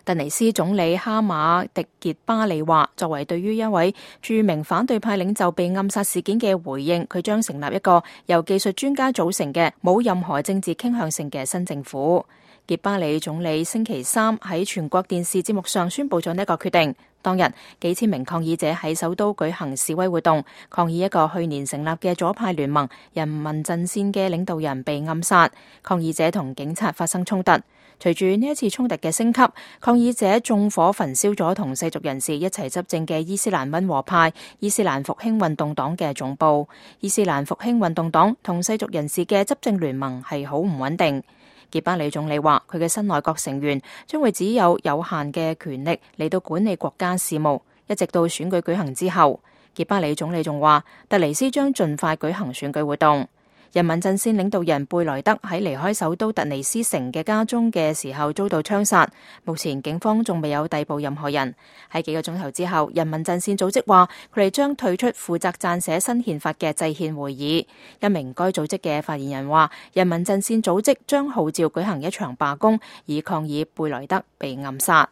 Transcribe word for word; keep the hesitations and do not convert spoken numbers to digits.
突尼斯總理哈馬迪傑巴里話，作為對於一位著名反對派領袖被暗殺事件嘅回應，佢將成立一個由技術專家組成嘅冇任何政治傾向性嘅新政府。傑巴里總理星期三喺全國電視節目上宣布咗呢一個決定。當日幾千名抗議者喺首都舉行示威活動，抗議一個去年成立嘅左派聯盟人民陣線嘅領導人被暗殺，抗議者同警察發生衝突。隨住呢一次衝突嘅升級，抗議者縱火焚燒咗同世俗人士一齊執政嘅伊斯蘭溫和派伊斯蘭復興運動黨嘅總部。伊斯蘭復興運動黨同世俗人士嘅執政聯盟係好唔穩定。傑巴里總理話，佢嘅新內閣成員將會只有有限嘅權力嚟到管理國家事務，一直到選舉舉行之後。傑巴里總理仲話，突尼斯將盡快舉行選舉活動。人民陣線領導人貝萊德喺離開首都突尼斯城嘅家中嘅時候遭到槍殺，目前警方仲未有逮捕任何人。喺幾個鐘頭之後，人民陣線組織話佢哋將退出負責撰寫新憲法嘅制憲會議。一名該組織嘅發言人話，人民陣線組織將號召舉行一場罷工，以抗議貝萊德被暗殺。